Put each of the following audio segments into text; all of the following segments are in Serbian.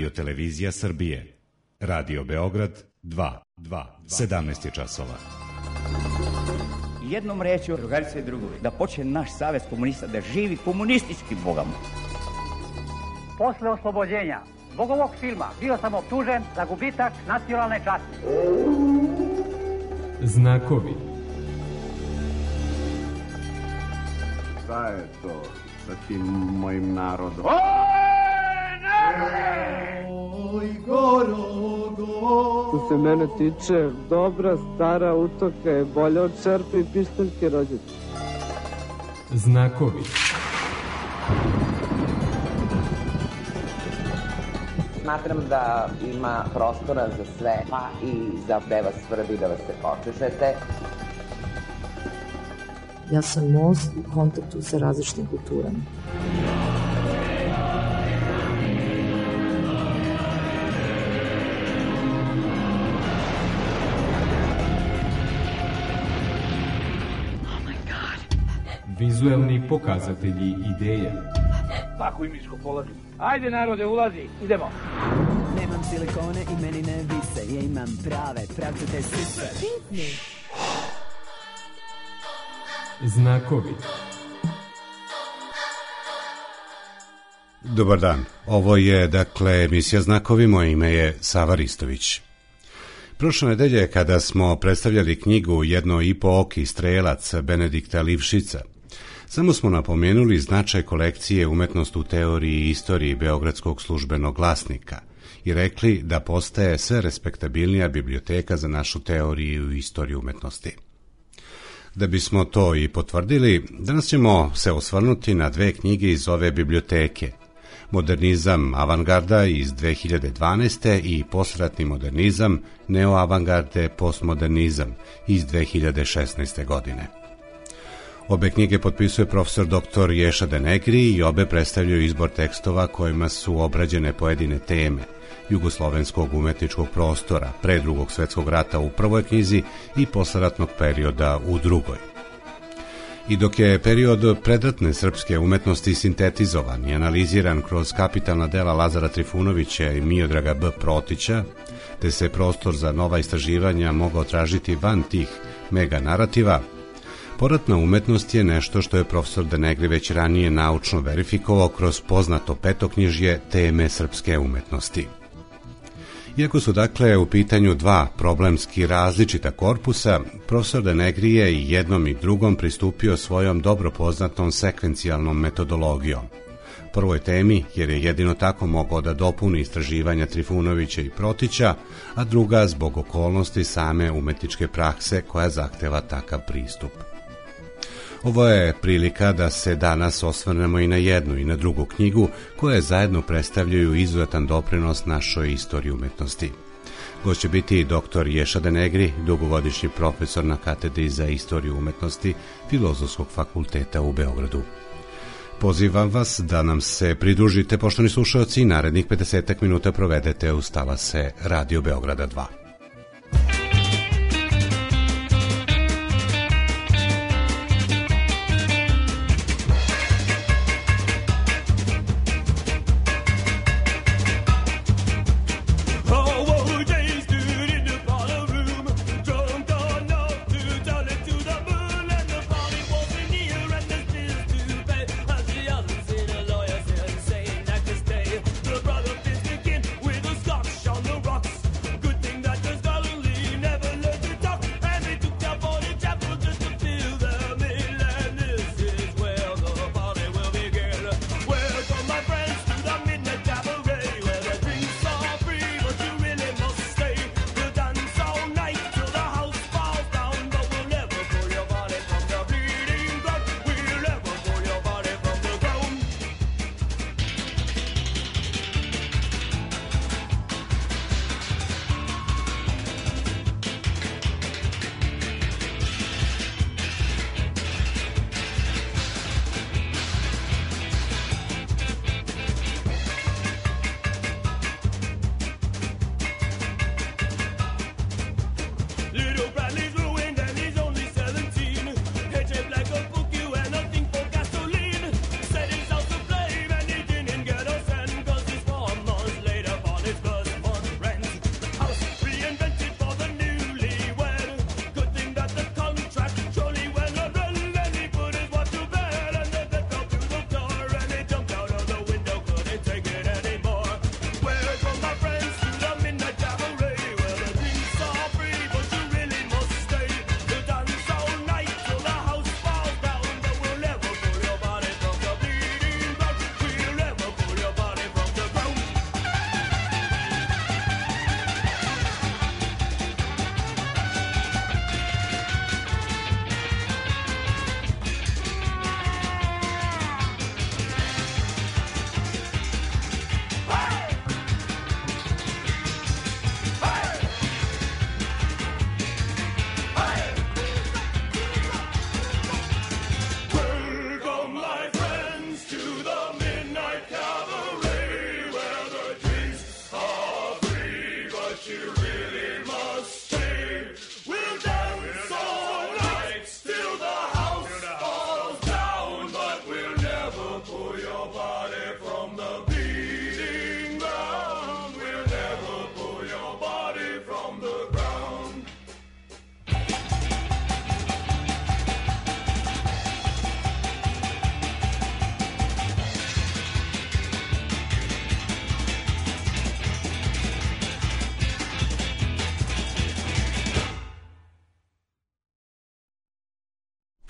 Radio-televizija Srbije. Radio Beograd 2. 17 je časova. Jednom rečju, drugarice i drugovi, da počne naš savez komunista da živi komunistički bogama. Posle oslobođenja zbog ovog filma bio sam optužen za gubitak nacionalne časti. Znakovi. Šta je to sa tim mojim narodom? Oj, Što se mene tiče, dobra stara utoka je bolja od čerpe i pištaljke rođete. Znakovi. Smatram da ima prostora za sve, pa i za da vas svrbi, da vas se počešete. Ja sam most u kontaktu sa različitim kulturama. Vizuelni pokazatelji ideje. Tako i miško polazi. Ajde narode, ulazi, idemo. Nemam silikone i meni ne vise, ja imam prave, pravcate sise. Znakovi. Dobar dan, ovo je emisija Znakovi, moje ime je Sava Ristović. Prošle nedelje kada smo predstavljali knjigu Jedno i po oki strelac Benedikta Livšica, samo smo napomenuli značaj kolekcije Umetnost u teoriji i istoriji Beogradskog službenog glasnika i rekli da postaje sve respektabilnija biblioteka za našu teoriju i istoriju umetnosti. Da bismo to i potvrdili, danas ćemo se osvrnuti na dve knjige iz ove biblioteke. Modernizam avangarda iz 2012. i posratni modernizam, neoavangarde, postmodernizam iz 2016. godine. Obe knjige potpisuje profesor dr. Ješa Denegri i obe predstavljaju izbor tekstova kojima su obrađene pojedine teme jugoslovenskog umetničkog prostora pre Drugog svjetskog rata u prvoj knjizi i posleratnog perioda u drugoj. I dok je period predratne srpske umetnosti sintetizovan i analiziran kroz kapitalna dela Lazara Trifunovića i Miodraga B. Protića, te se prostor za nova istraživanja mogao tražiti van tih mega narativa, poratna umetnost je nešto što je profesor Denegri već ranije naučno verifikovao kroz poznato petoknjižje teme srpske umetnosti. Iako su u pitanju dva problemski različita korpusa, profesor Denegri je i jednom i drugom pristupio svojom dobro poznatom sekvencijalnom metodologijom. Prvoj temi, jer je jedino tako mogao da dopuni istraživanja Trifunovića i Protića, a druga zbog okolnosti same umetničke prakse koja zahteva takav pristup. Ovo je prilika da se danas osvrnemo i na jednu i na drugu knjigu koje zajedno predstavljaju izuzetan doprinos našoj istoriji umetnosti. Gost će biti dr. Ješa Denegri, dugogodišnji profesor na katedri za istoriju umetnosti Filozofskog fakulteta u Beogradu. Pozivam vas da nam se pridružite, poštovani slušalci, i narednih 50 minuta provedete uz talase Radio Beograda 2. Good thing that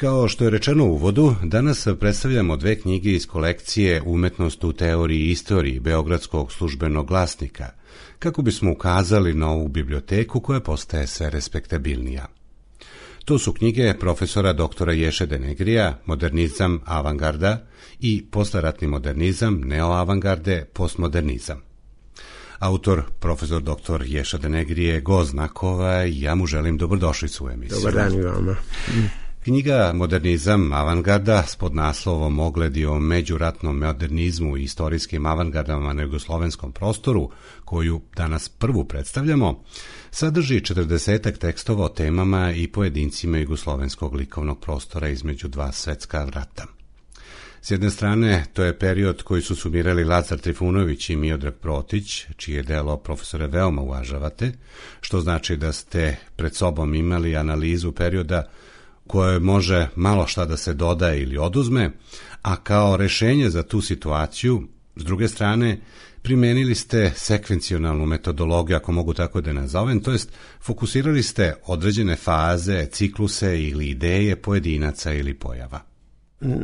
Kao što je rečeno u uvodu, danas predstavljamo dve knjige iz kolekcije Umetnost u teoriji i istoriji Beogradskog službenog glasnika, kako bismo ukazali na ovu biblioteku koja postaje sve respektabilnija. To su knjige profesora doktora Ješe Denegrija, Modernizam avangarda i Posleratni modernizam, neoavangarde, postmodernizam. Autor, profesor doktor Ješa Denegrije je gost Znakova i ja mu želim dobrodošlicu u emisiju. Dobar dan i vama. Knjiga Modernizam avangarda s podnaslovom Ogledi o međuratnom modernizmu i istorijskim avangardama na jugoslovenskom prostoru, koju danas prvu predstavljamo, sadrži 40 tekstova o temama i pojedincima jugoslovenskog likovnog prostora između dva svetska rata. S jedne strane, to je period koji su sumirali Lazar Trifunović i Miodrag Protić, čije delo profesore veoma uvažavate, što znači da ste pred sobom imali analizu perioda koje može malo šta da se doda ili oduzme, a kao rešenje za tu situaciju, s druge strane, primenili ste sekvencionalnu metodologiju, ako mogu tako da nazovem, to jest fokusirali ste određene faze, cikluse ili ideje pojedinaca ili pojava.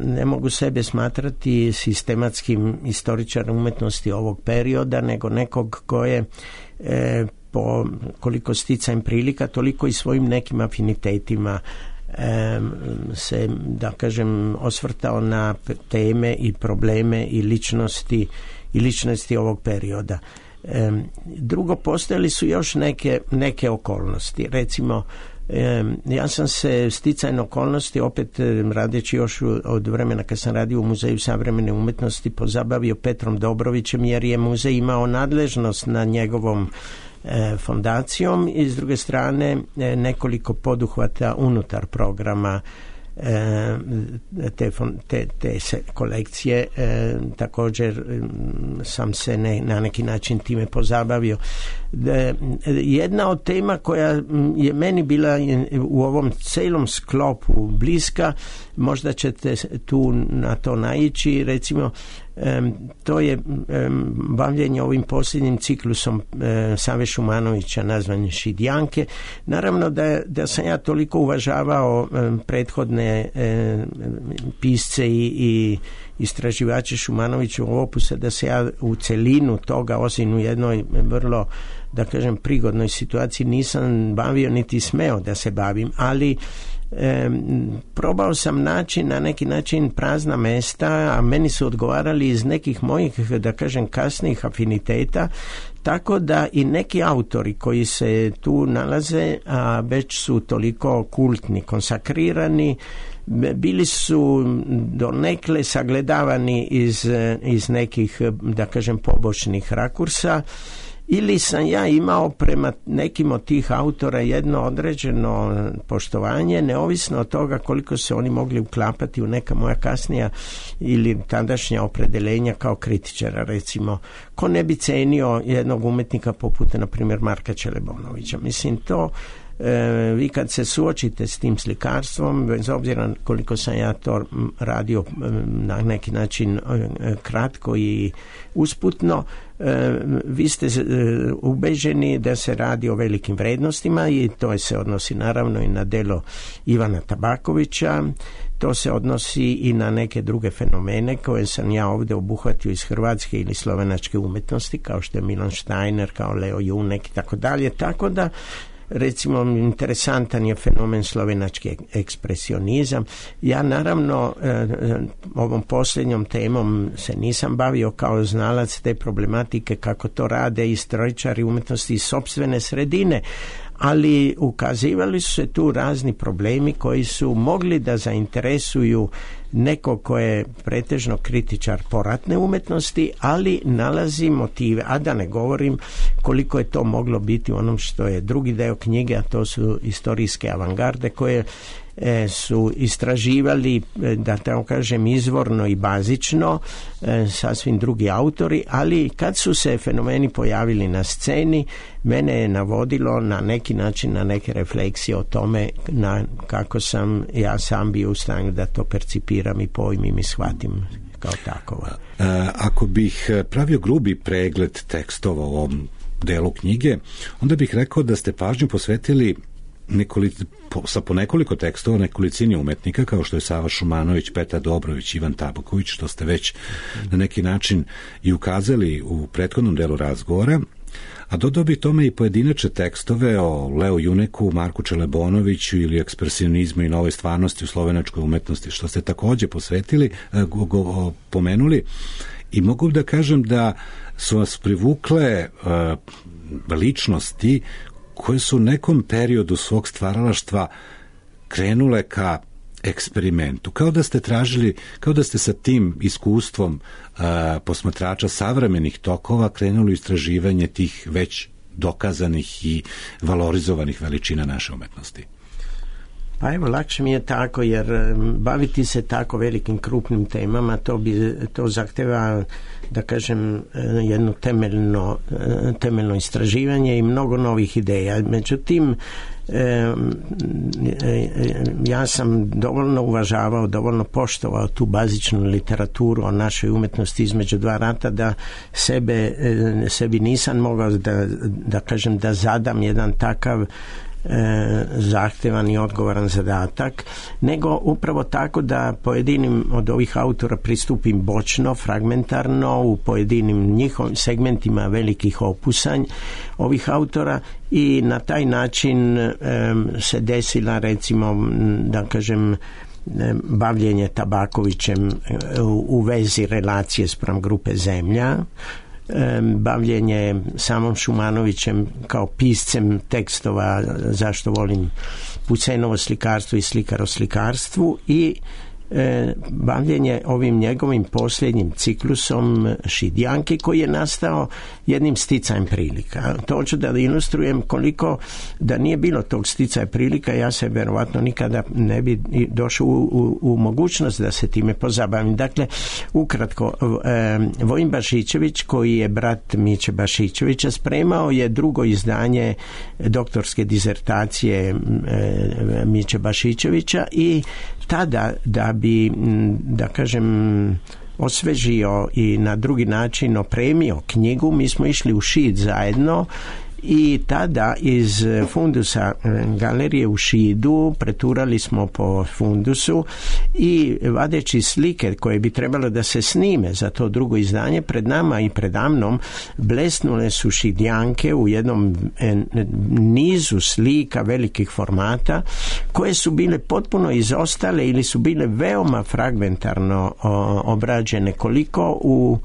Ne mogu sebe smatrati sistematskim istoričarom umetnosti ovog perioda, nego nekog ko je po koliko sticajem prilika, toliko i svojim nekim afinitetima se, da kažem, osvrtao na teme i probleme i ličnosti ovog perioda. Drugo, postojali su još neke okolnosti. Recimo, ja sam se sticajem okolnosti, opet radeći još od vremena kad sam radio u Muzeju savremene umetnosti, pozabavio Petrom Dobrovićem, jer je muzej imao nadležnost na njegovom fondacijom i s druge strane nekoliko poduhvata unutar programa te kolekcije. Također sam se na neki način time pozabavio. Jedna od tema koja je meni bila u ovom celom sklopu bliska, možda ćete tu na to naići, recimo to je bavljenje ovim posljednjim ciklusom Save Šumanovića nazvan Šidjanke. Naravno da sam ja toliko uvažavao prethodne pisce i istraživače Šumanovićevog opusa da se ja u celinu toga, osim u jednoj vrlo, da kažem, prigodnoj situaciji nisam bavio niti smeo da se bavim, ali probao sam naći na neki način prazna mesta, a meni su odgovarali iz nekih mojih, da kažem, kasnijih afiniteta, tako da i neki autori koji se tu nalaze, a već su toliko kultni, konsakrirani, bili su donekle sagledavani iz nekih, da kažem, pobočnih rakursa, ili sam ja imao prema nekim od tih autora jedno određeno poštovanje, neovisno od toga koliko se oni mogli uklapati u neka moja kasnija ili tadašnja opredeljenja kao kritičara. Recimo, ko ne bi cenio jednog umetnika poput, na primjer, Marka Čelebonovića. Mislim, to vi kad se suočite s tim slikarstvom, bez obzira koliko sam ja to radio na neki način kratko i usputno, vi ste ubeđeni da se radi o velikim vrednostima i to se odnosi naravno i na delo Ivana Tabakovića, to se odnosi i na neke druge fenomene koje sam ja ovdje obuhvatio iz hrvatske ili slovenačke umetnosti, kao što je Milan Steiner, kao Leo Junek i tako dalje, tako da recimo interesantan je fenomen slovenački ekspresionizam. Ja naravno ovom posljednjom temom se nisam bavio kao znalac te problematike kako to rade istoričari umetnosti iz sopstvene sredine, ali ukazivali su se tu razni problemi koji su mogli da zainteresuju neko ko je pretežno kritičar poratne umetnosti, ali nalazi motive, a da ne govorim koliko je to moglo biti u onom što je drugi deo knjige, a to su istorijske avangarde koje su istraživali, da tako kažem, izvorno i bazično sasvim drugi autori, ali kad su se fenomeni pojavili na sceni, mene je navodilo na neki način na neke refleksije o tome kako sam ja sam bio u stanju da to percipiram i pojmim i shvatim kao takovo. Ako bih pravio grubi pregled tekstova u ovom delu knjige, onda bih rekao da ste pažnju posvetili sa po nekoliko tekstova nekolicini umetnika kao što je Sava Šumanović, Petar Dobrović, Ivan Tabaković, što ste već na neki način i ukazali u prethodnom delu razgovora, a dodao bi tome i pojedinačne tekstove o Leu Juneku, Marku Čelebonoviću ili ekspresionizmu i novoj stvarnosti u slovenačkoj umetnosti, što ste takođe pomenuli, i mogu da kažem da su vas privukle ličnosti koje su u nekom periodu svog stvaralaštva krenule ka eksperimentu, kao da ste tražili, kao da ste sa tim iskustvom posmatrača savremenih tokova krenuli u istraživanje tih već dokazanih i valorizovanih veličina naše umetnosti. Pa evo, lakše mi je tako, jer baviti se tako velikim krupnim temama, to zahteva, da kažem, jedno temeljno istraživanje i mnogo novih ideja. Međutim, ja sam dovoljno uvažavao, dovoljno poštovao tu bazičnu literaturu o našoj umetnosti između dva rata da sebi nisam mogao da kažem da zadam jedan takav zahtevan i odgovoran zadatak, nego upravo tako da pojedinim od ovih autora pristupim bočno, fragmentarno, u pojedinim njihovim segmentima velikih opusanj ovih autora, i na taj način se desila, recimo, da kažem, bavljenje Tabakovićem u vezi relacije spram grupe Zemlja, bavljenje samom Šumanovićem kao piscem tekstova Zašto volim Pucenovo slikarstvo i Slikar o slikarstvu, i bavljenje ovim njegovim posljednjim ciklusom Šidjanke, koji je nastao jednim sticajem prilika. To hoću da ilustrujem koliko da nije bilo tog sticaja prilika, ja se verovatno nikada ne bi došao u mogućnost da se time pozabavim. Dakle, ukratko, Vojin Bašićević, koji je brat Miće Bašićevića, spremao je drugo izdanje doktorske dizertacije Miće Bašićevića, i tada, da bi, da kažem, osvežio i na drugi način opremio knjigu, mi smo išli u Šid zajedno, i tada iz fundusa galerije u Šidu preturali smo po fundusu i vadeći slike koje bi trebalo da se snime za to drugo izdanje, pred nama i predamnom blesnule su Šidjanke u jednom nizu slika velikih formata koje su bile potpuno izostale ili su bile veoma fragmentarno obrađene, koliko u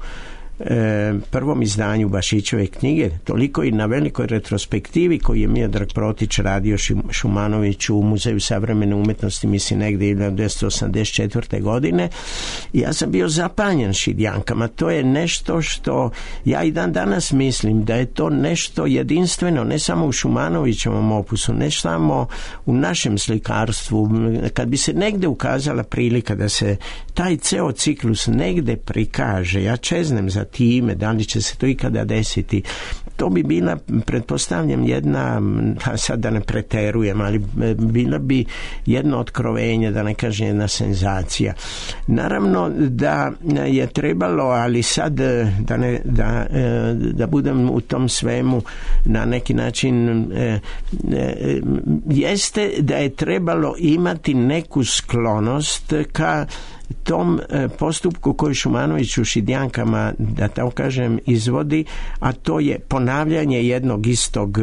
prvom izdanju Bašićeve knjige, toliko i na velikoj retrospektivi koju je Miodrag Protić radio Šumanoviću u Muzeju savremene umetnosti, mislim negdje 1984. godine. Ja sam bio zapanjen Šidjankama. To je nešto što ja i dan danas mislim da je to nešto jedinstveno, ne samo u Šumanovićevom opusu, ne samo u našem slikarstvu. Kad bi se negde ukazala prilika da se taj ceo ciklus negde prikaže, ja čeznem za time, da li će se to ikada desiti, to bi bila, pretpostavljam, jedna, sad da ne preterujem, ali bila bi jedno otkrovenje, da ne kažem jedna senzacija. Naravno da je trebalo, ali sad da budem u tom svemu na neki način, jeste da je trebalo imati neku sklonost ka tom postupku koji Šumanović u Šidjankama, da tako kažem, izvodi, a to je ponavljanje jednog istog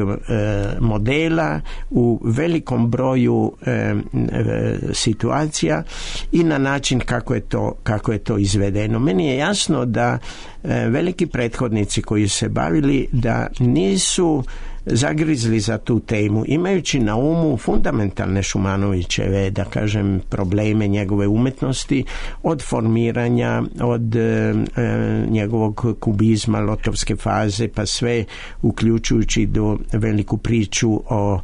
modela u velikom broju situacija i na način kako je to izvedeno. Meni je jasno da veliki prethodnici koji se bavili da nisu zagrizli za tu temu, imajući na umu fundamentalne Šumanovićeve, da kažem, probleme njegove umetnosti, od formiranja, od njegovog kubizma, lotovske faze, pa sve uključujući do veliku priču o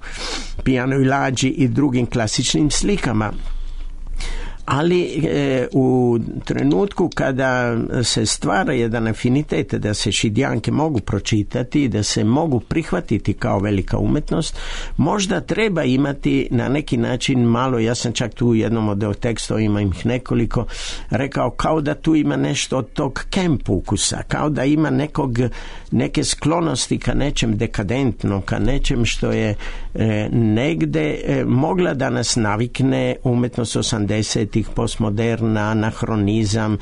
pijanoj lađi i drugim klasičnim slikama. ali u trenutku kada se stvara jedan afinitet da se Šidjanke mogu pročitati, da se mogu prihvatiti kao velika umetnost, možda treba imati na neki način malo, ja sam čak tu u jednom od tekstova, ima ih nekoliko, rekao kao da tu ima nešto od tog camp ukusa, kao da ima neke sklonosti ka nečem dekadentnom, ka nečem što je negde mogla da nas navikne umjetnost 80-ih, postmoderna, anahronizam,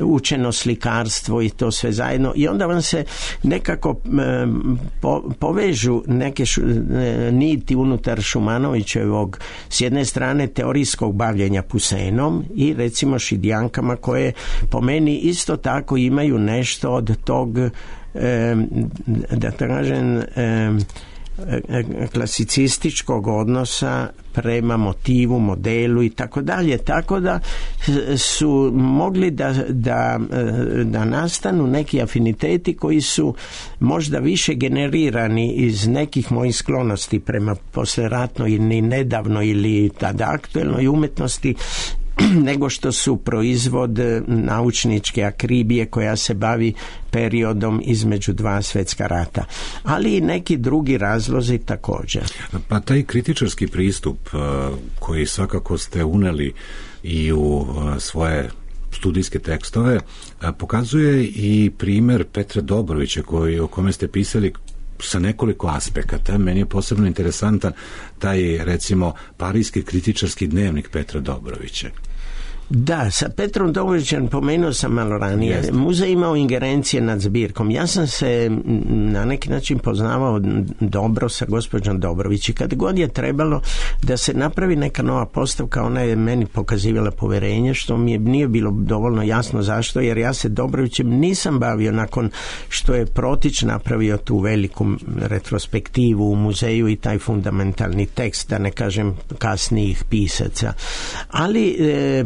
učeno slikarstvo i to sve zajedno, i onda vam se nekako povežu neke niti unutar Šumanovićevog s jedne strane teorijskog bavljenja Pusenom i recimo Šidjankama, koje po meni isto tako imaju nešto od tog da kažem klasicističkog odnosa prema motivu, modelu i tako dalje, tako da su mogli da nastanu neki afiniteti koji su možda više generirani iz nekih mojih sklonosti prema posleratnoj ili nedavnoj ili tada aktuelnoj umetnosti, nego što su proizvod naučničke akribije koja se bavi periodom između dva svjetska rata, ali i neki drugi razlozi također. Pa taj kritičarski pristup koji svakako ste uneli i u svoje studijske tekstove pokazuje i primjer Petra Dobrovića o kome ste pisali sa nekoliko aspekata. Meni je posebno interesantan taj, recimo, parijski kritičarski dnevnik Petra Dobrovića. Da, sa Petrom Dobrovićem pomenuo sam malo ranije. Jeste. Muzej imao ingerencije nad zbirkom. Ja sam se na neki način poznavao dobro sa gospođom Dobrović i kad god je trebalo da se napravi neka nova postavka, ona je meni pokazivala poverenje, što mi nije bilo dovoljno jasno zašto, jer ja se Dobrovićem nisam bavio nakon što je Protić napravio tu veliku retrospektivu u muzeju i taj fundamentalni tekst, da ne kažem kasnijih pisaca. Ali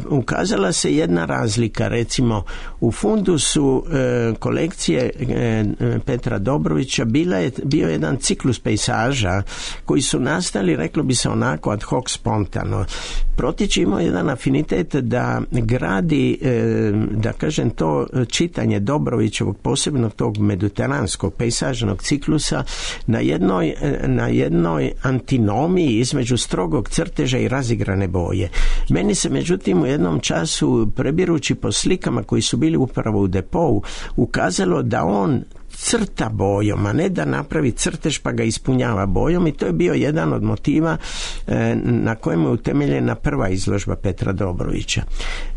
ukazala se jedna razlika, recimo u fundusu kolekcije Petra Dobrovića bio jedan ciklus pejsaža koji su nastali, reklo bi se onako ad hoc spontano. Protić imao jedan afinitet da gradi, da kažem, to čitanje Dobrovićevog, posebno tog mediteranskog pejsažnog ciklusa na jednoj antinomiji između strogog crteža i razigrane boje. Meni se međutim u jednom času, prebirući po slikama koji su bili upravo u depou, ukazalo da on crta bojom, a ne da napravi crtež pa ga ispunjava bojom, i to je bio jedan od motiva na kojem je utemeljena prva izložba Petra Dobrovića.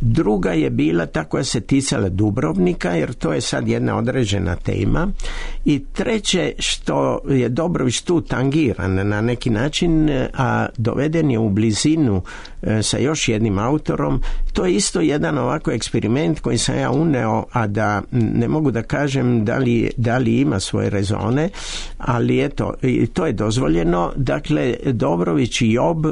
Druga je bila ta koja se ticala Dubrovnika, jer to je sad jedna određena tema, i treće, što je Dobrović tu tangiran na neki način, a doveden je u blizinu sa još jednim autorom, to je isto jedan ovako eksperiment koji sam ja uneo, a da ne mogu da kažem da li ima svoje rezone, ali eto, i to je dozvoljeno. Dakle, Dobrović i Job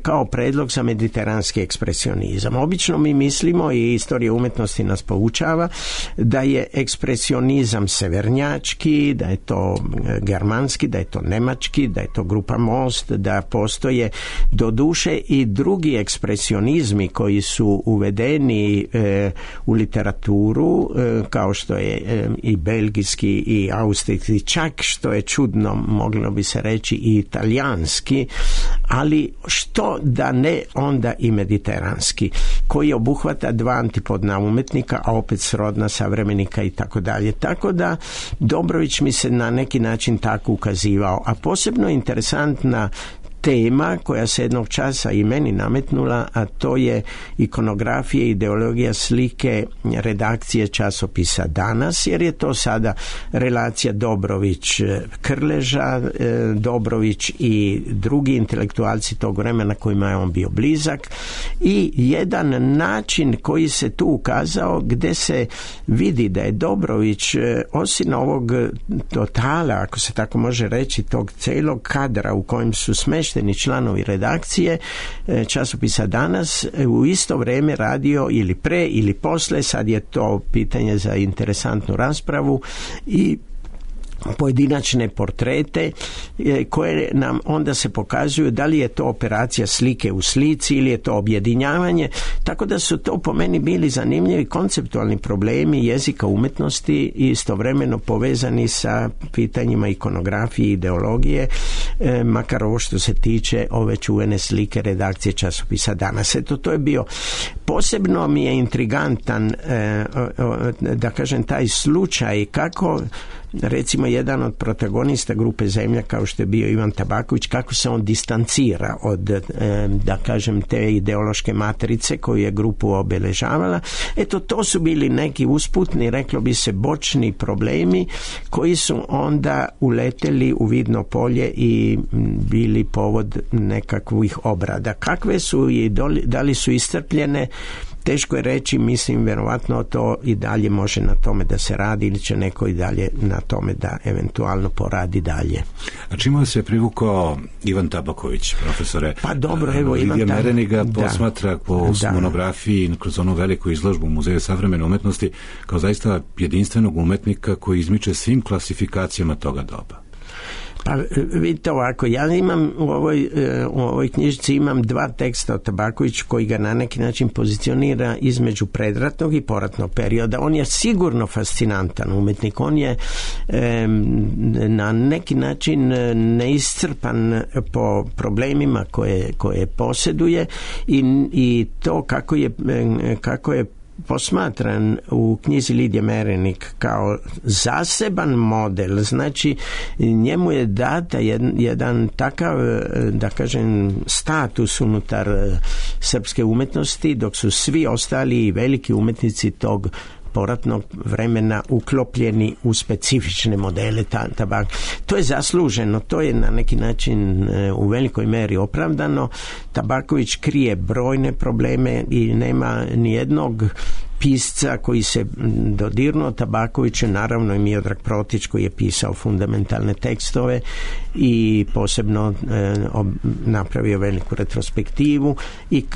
kao predlog za mediteranski ekspresionizam. Obično mi mislimo, i istorija umetnosti nas poučava, da je ekspresionizam severnjački, da je to germanski, da je to nemački, da je to grupa Most, da postoje doduše i drugi ekspresionizmi koji su uvedeni u literaturu, kao što je i belgijski i austrijski, čak što je čudno, moglo bi se reći i italijanski, ali što da ne onda i mediteranski, koji obuhvata dva antipodna umetnika, a opet srodna savremenika i tako dalje. Tako da Dobrović mi se na neki način tako ukazivao, a posebno interesantna tema koja se jednog časa i meni nametnula, a to je ikonografija i ideologija slike redakcije časopisa Danas, jer je to sada relacija Dobrović-Krleža, Dobrović i drugi intelektualci tog vremena kojima je on bio blizak, i jedan način koji se tu ukazao gde se vidi da je Dobrović, osim ovog totala, ako se tako može reći, tog celog kadra u kojem su smešteni članovi redakcije časopisa Danas, u isto vrijeme radio ili pre ili posle, sad je to pitanje za interesantnu raspravu, i pojedinačne portrete koje nam onda se pokazuju da li je to operacija slike u slici ili je to objedinjavanje, tako da su to po meni bili zanimljivi konceptualni problemi jezika umetnosti i istovremeno povezani sa pitanjima ikonografije i ideologije, makar ovo što se tiče ove čuvene slike redakcije časopisa Danas. Eto, to je bio posebno mi je intrigantan da kažem taj slučaj kako recimo jedan od protagonista grupe Zemlja kao što je bio Ivan Tabaković, kako se on distancira od da kažem te ideološke matrice koju je grupu obeležavala. Eto, to su bili neki usputni, reklo bi se, bočni problemi koji su onda uleteli u vidno polje i bili povod nekakvih obrada. Kakve su i da li su iscrpljene, teško je reći, mislim, vjerovatno to i dalje može na tome da se radi ili će neko i dalje na tome da eventualno poradi dalje. A čime se privukao Ivan Tabaković, profesore? Pa dobro, evo Lidija Mereniga posmatra po monografiji kroz onu veliku izložbu u Muzeju savremene umetnosti kao zaista jedinstvenog umetnika koji izmiče svim klasifikacijama toga doba. Pa vidite ovako, ja imam u ovoj knjižici imam 2 teksta o Tabakoviću koji ga na neki način pozicionira između predratnog i poratnog perioda. On je sigurno fascinantan umetnik, on je na neki način neiscrpan po problemima koje posjeduje i to kako je posmatran u knjizi Lidije Merenik kao zaseban model, znači njemu je data jedan takav, da kažem, status unutar srpske umetnosti, dok su svi ostali veliki umetnici tog poratnog vremena uklopljeni u specifične modele tabaka. To je zasluženo, to je na neki način u velikoj meri opravdano. Tabaković krije brojne probleme i nema nijednog pisca koji se dodirnuo Tabakoviću, naravno i Miodrag Protić koji je pisao fundamentalne tekstove i posebno napravio veliku retrospektivu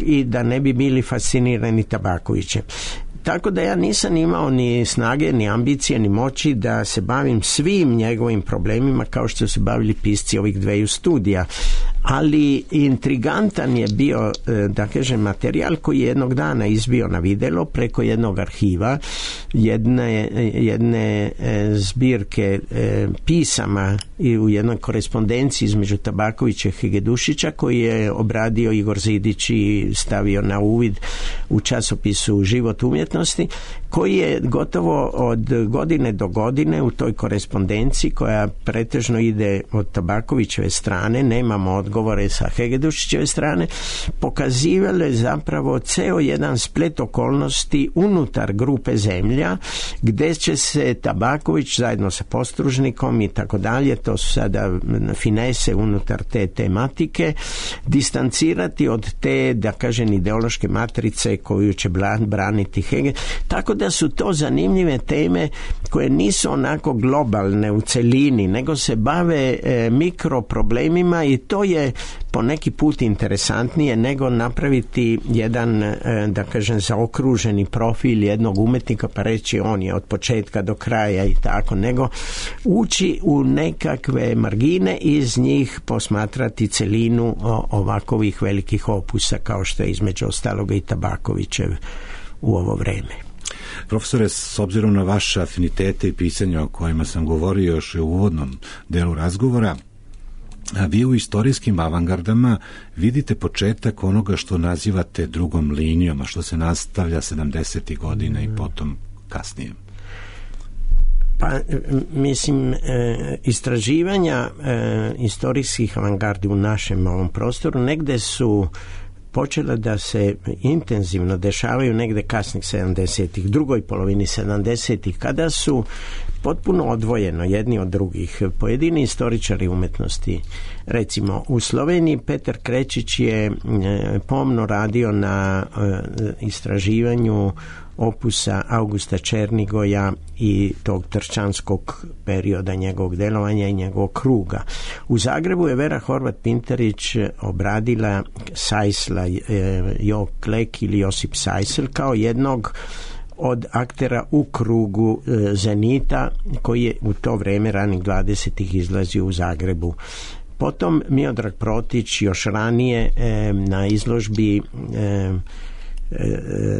i da ne bi bili fascinirani Tabakovićem. Tako da ja nisam imao ni snage, ni ambicije, ni moći da se bavim svim njegovim problemima kao što su bavili pisci ovih 2 studija. Ali intrigantan je bio, da kažem, materijal koji je jednog dana izbio na videlo preko jednog arhiva, jedne zbirke pisama i u jednoj korespondenciji između Tabakovića i Hegedušića koji je obradio Igor Zidić i stavio na uvid u časopisu Život umjetnosti, koji je gotovo od godine do godine u toj korespondenciji koja pretežno ide od Tabakovićeve strane, nemamo odgovore sa Hegedušićeve strane, pokazivale zapravo ceo jedan splet okolnosti unutar grupe Zemlja, gde će se Tabaković zajedno sa Postružnikom i tako dalje, to su sada finese unutar te tematike, distancirati od te, da kažem, ideološke matrice koju će braniti Hegel. Tako da su to zanimljive teme koje nisu onako globalne u celini, nego se bave mikroproblemima i to je po neki put interesantnije nego napraviti jedan, da kažem, zaokruženi profil jednog umetnika pa reći on je od početka do kraja i tako, nego ući u nekakve margine i iz njih posmatrati celinu ovakovih velikih opusa kao što je između ostaloga i Tabakovićev u ovo vreme. Profesore, s obzirom na vaše afinitete i pisanja o kojima sam govorio još u uvodnom delu razgovora, a vi u istorijskim avangardama vidite početak onoga što nazivate drugom linijom, a što se nastavlja 70. godina i potom kasnije. Pa, mislim, istraživanja istorijskih avangardi u našem ovom prostoru negde su počela da se intenzivno dešavaju negde kasnih 70-ih, drugoj polovini 70-ih, kada su potpuno odvojeno jedni od drugih pojedini istoričari umetnosti. Recimo, u Sloveniji Petar Krečić je pomno radio na istraživanju opusa Augusta Černigoja i tog trčanskog perioda njegovog delovanja i njegovog kruga. U Zagrebu je Vera Horvat-Pintarić obradila Sajsla, Jo Klek ili Josip Sajsel kao jednog od aktera u krugu Zenita, koji je u to vrijeme ranih 20-ih izlazio u Zagrebu. Potom Miodrag Protić još ranije na izložbi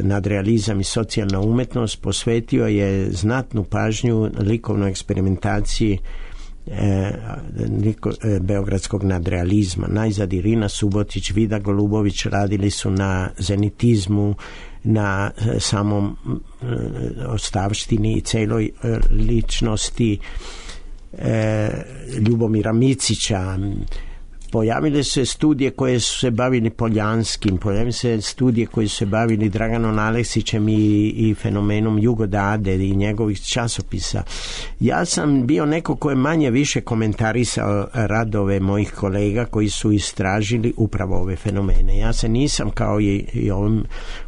Nadrealizam i socijalna umetnost posvetio je znatnu pažnju likovnoj eksperimentaciji beogradskog nadrealizma. Najzad Irina Subotić, Vida Golubović radili su na zenitizmu, na samom ostavštini i celoj ličnosti Ljubomira Micića. Pojavile su se studije koje su se bavili Poljanskim, pojavile se studije koje su se bavili Draganom Aleksićem i fenomenom Jugodade i njegovih časopisa. Ja sam bio neko ko je manje više komentarisao radove mojih kolega koji su istražili upravo ove fenomene. Ja se nisam, kao i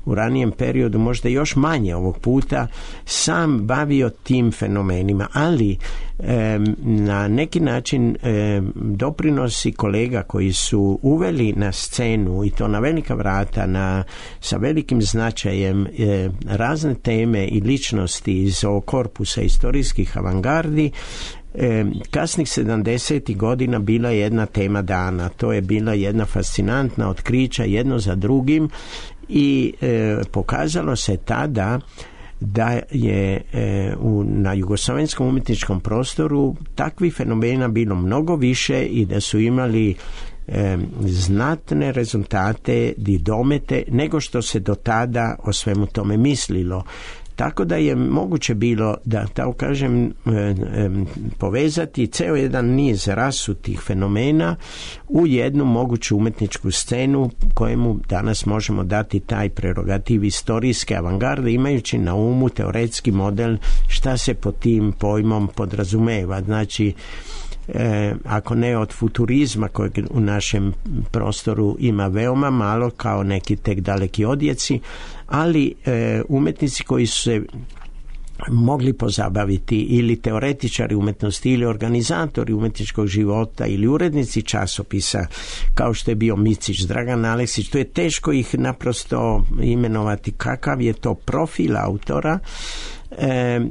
u ranijem periodu, možda još manje ovog puta, sam bavio tim fenomenima, ali na neki način doprinosi kolega koji su uveli na scenu, i to na velika vrata, sa velikim značajem, razne teme i ličnosti iz ovog korpusa istorijskih avangardi. Kasnih 70. godina bila je jedna tema dana. To je bila jedna fascinantna otkrića jedno za drugim i pokazalo se tada da je na jugoslovenskom umjetničkom prostoru takvih fenomena bilo mnogo više i da su imali znatne rezultate i domete nego što se do tada o svemu tome mislilo. Tako da je moguće bilo da, tako kažem, povezati ceo jedan niz rasutih fenomena u jednu moguću umetničku scenu kojemu danas možemo dati taj prerogativ istorijske avangarde, imajući na umu teoretski model šta se pod tim pojmom podrazumeva. Znači, ako ne od futurizma kojeg u našem prostoru ima veoma malo, kao neki tek daleki odjeci, ali umetnici koji su se mogli pozabaviti, ili teoretičari umetnosti, ili organizatori umetničkog života, ili urednici časopisa, kao što je bio Micić, Dragan Aleksić. To je teško ih naprosto imenovati kakav je to profil autora.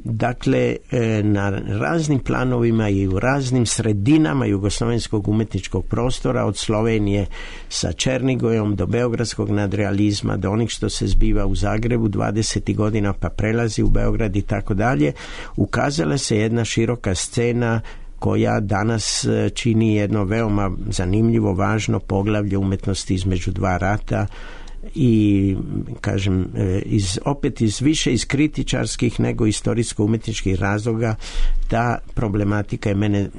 Dakle, na raznim planovima i u raznim sredinama jugoslovenskog umetničkog prostora, od Slovenije sa Černigojom do beogradskog nadrealizma, do onih što se zbiva u Zagrebu 20. godina pa prelazi u Beograd i tako dalje, ukazala se jedna široka scena koja danas čini jedno veoma zanimljivo, važno poglavlje umetnosti između dva rata. I kažem, opet više iz kritičarskih nego istorijsko-umetničkih razloga ta problematika je mene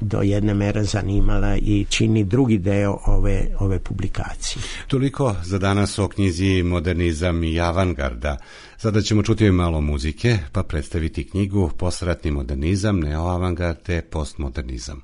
do jedne mere zanimala i čini drugi deo ove publikacije. Toliko za danas o knjizi Modernizam i avangarda. Sada ćemo čuti malo muzike pa predstaviti knjigu Posratni modernizam, neoavangard te postmodernizam.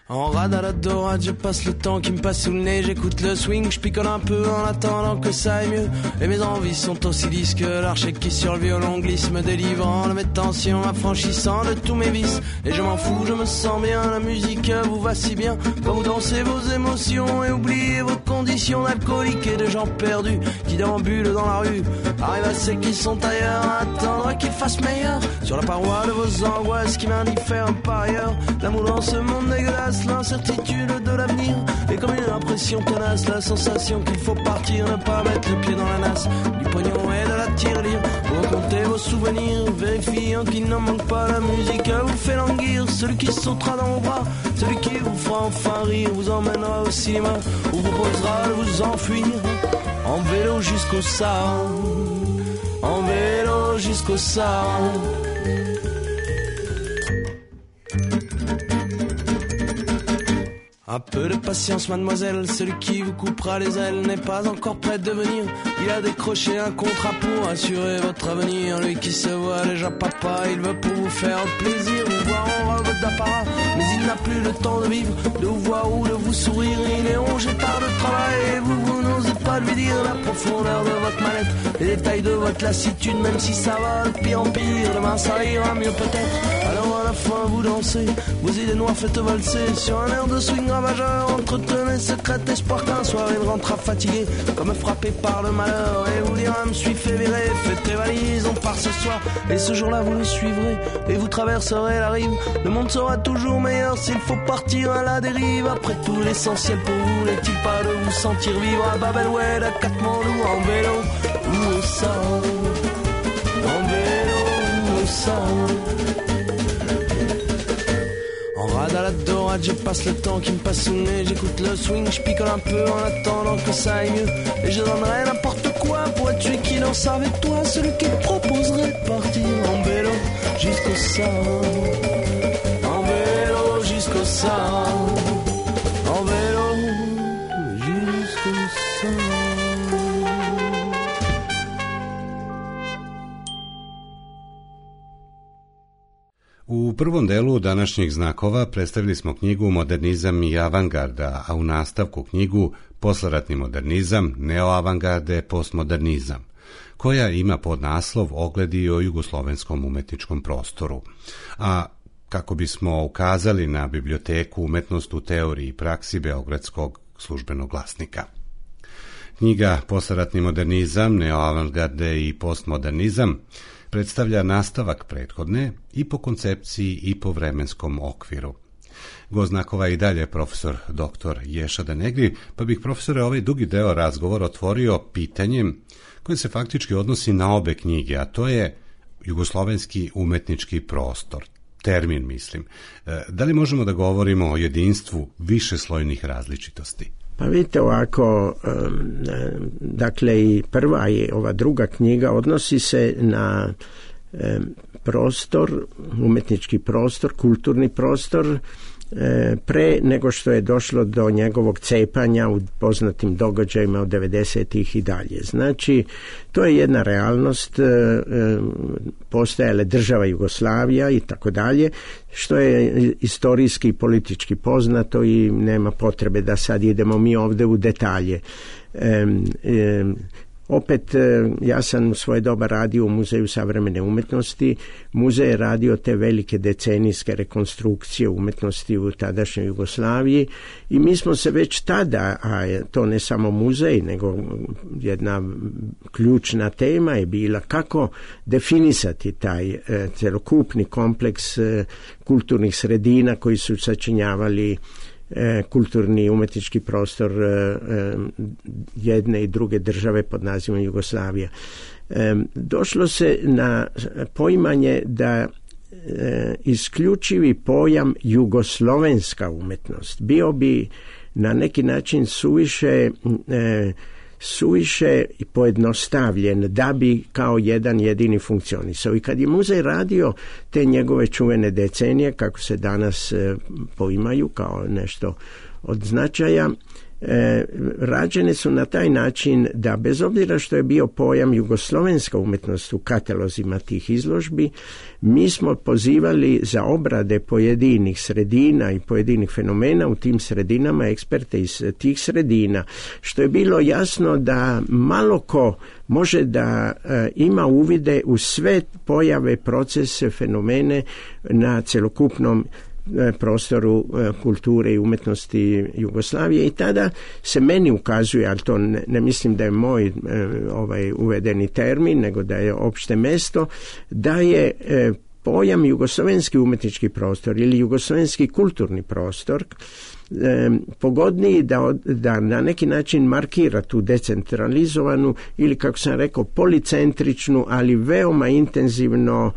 En rade à la dorade, je passe le temps qui me passe sous le nez. J'écoute le swing, je picole un peu en attendant que ça aille mieux. Et mes envies sont aussi lisses que l'archet qui sur le violon glisse, me délivrant de mes tensions, m'affranchissant de tous mes vices. Et je m'en fous, je me sens bien, la musique vous va si bien. Quand vous dansez vos émotions et oubliez vos conditions d'alcooliques et de gens perdus qui déambulent dans la rue. Arrive à ceux qui sont ailleurs, à attendre qu'il fasse meilleur. Sur la paroi de vos angoisses qui m'indiffèrent par ailleurs. L'amour dans ce monde dégueulasse, l'incertitude de l'avenir et comme une impression tenace, la sensation qu'il faut partir, ne pas mettre le pied dans la nasse du pognon et de la tirelire. Vous racontez vos souvenirs, vérifiant qu'il n'en manque pas. La musique vous fait languir, celui qui sautera dans vos bras, celui qui vous fera enfin rire, vous emmènera au cinéma, vous proposera de vous enfuir en vélo jusqu'au Sahara, en vélo jusqu'au Sahara. Un peu de patience, mademoiselle, celui qui vous coupera les ailes n'est pas encore prêt de venir. Il a décroché un contrat pour assurer votre avenir. Lui qui se voit déjà papa, il veut pour vous faire plaisir, vous voir en robe d'apparat. Mais il n'a plus le temps de vivre, de vous voir ou de vous sourire. Il est rongé par le travail et vous n'osez pas lui dire la profondeur de votre mallette, les détails de votre lassitude. Même si ça va de pire en pire, demain ça ira mieux peut-être. Alors à la fin vous dansez, vos idées noires faites valser sur un air de swing ravageur. Entretenez secret espoir qu'un soir il rentrera fatigué, comme frappé par le malheur, et vous dira me suis fait virer. Faites tes valises, on part ce soir, et ce jour-là vous le suivrez et vous traverserez la rive. Le monde sera toujours meilleur s'il faut partir à la dérive. Après tout l'essentiel pour vous n'est-il pas de vous sentir vivre à Bab el-Oued, à Katmandou, en vélo ou au sol, en vélo ou au sol. En rade à la dorade, je passe le temps qui me passe sous le nez. J'écoute le swing, je picole un peu en attendant que ça aille mieux. Et je donnerais n'importe quoi pour être celui qui danse avec toi, celui qui te proposerait de partir en vélo jusqu'au sol, en vélo jusqu'au sol, en vélo jusqu'au sol. U prvom delu današnjih znakova predstavili smo knjigu Modernizam i avangarda, a u nastavku knjigu Posleratni modernizam, neoavangarde, postmodernizam, koja ima podnaslov Ogledi o jugoslovenskom umetničkom prostoru. A kako bismo ukazali na biblioteku Umetnost u teoriji i praksi Beogradskog službenog glasnika. Knjiga Posleratni modernizam, neoavangarde i postmodernizam predstavlja nastavak prethodne i po koncepciji i po vremenskom okviru. Gost znakova i dalje profesor dr. Ješa Denegri, pa bih profesore ovaj dugi deo razgovora otvorio pitanjem koje se faktički odnosi na obe knjige, a to je jugoslovenski umetnički prostor. Termin, mislim. Da li možemo da govorimo o jedinstvu višeslojnih različitosti? Pa vidite ovako, dakle i prva i ova druga knjiga odnosi se na prostor, umetnički prostor, kulturni prostor, pre nego što je došlo do njegovog cepanja u poznatim događajima od 90-ih i dalje. Znači, to je jedna realnost, postojala država Jugoslavija i tako dalje, što je istorijski i politički poznato i nema potrebe da sad idemo mi ovde u detalje. Opet, ja sam u svoje doba radio u Muzeju savremene umetnosti. Muzej je radio te velike decenijske rekonstrukcije umetnosti u tadašnjoj Jugoslaviji i mi smo se već tada, a to ne samo muzej, nego jedna ključna tema je bila kako definisati taj celokupni kompleks kulturnih sredina koji su sačinjavali kulturni umetnički prostor jedne i druge države pod nazivom Jugoslavija. Došlo se na poimanje da isključivi pojam jugoslovenska umetnost bio bi na neki način suviše pojednostavljen da bi kao jedan jedini funkcionisao. I kad je muzej radio te njegove čuvene decenije, kako se danas poimaju kao nešto od značaja, rađene su na taj način da bez obzira što je bio pojam jugoslovenska umetnost u katalozima tih izložbi, mi smo pozivali za obrade pojedinih sredina i pojedinih fenomena u tim sredinama, eksperte iz tih sredina, što je bilo jasno da malo ko može da ima uvide u sve pojave, procese, fenomene na celokupnom prostoru kulture i umetnosti Jugoslavije i tada se meni ukazuje, ali to ne mislim da je moj uvedeni termin, nego da je opšte mesto, da je pojam jugoslovenski umetnički prostor ili jugoslovenski kulturni prostor pogodniji da na neki način markira tu decentralizovanu ili, kako sam rekao, policentričnu, ali veoma intenzivno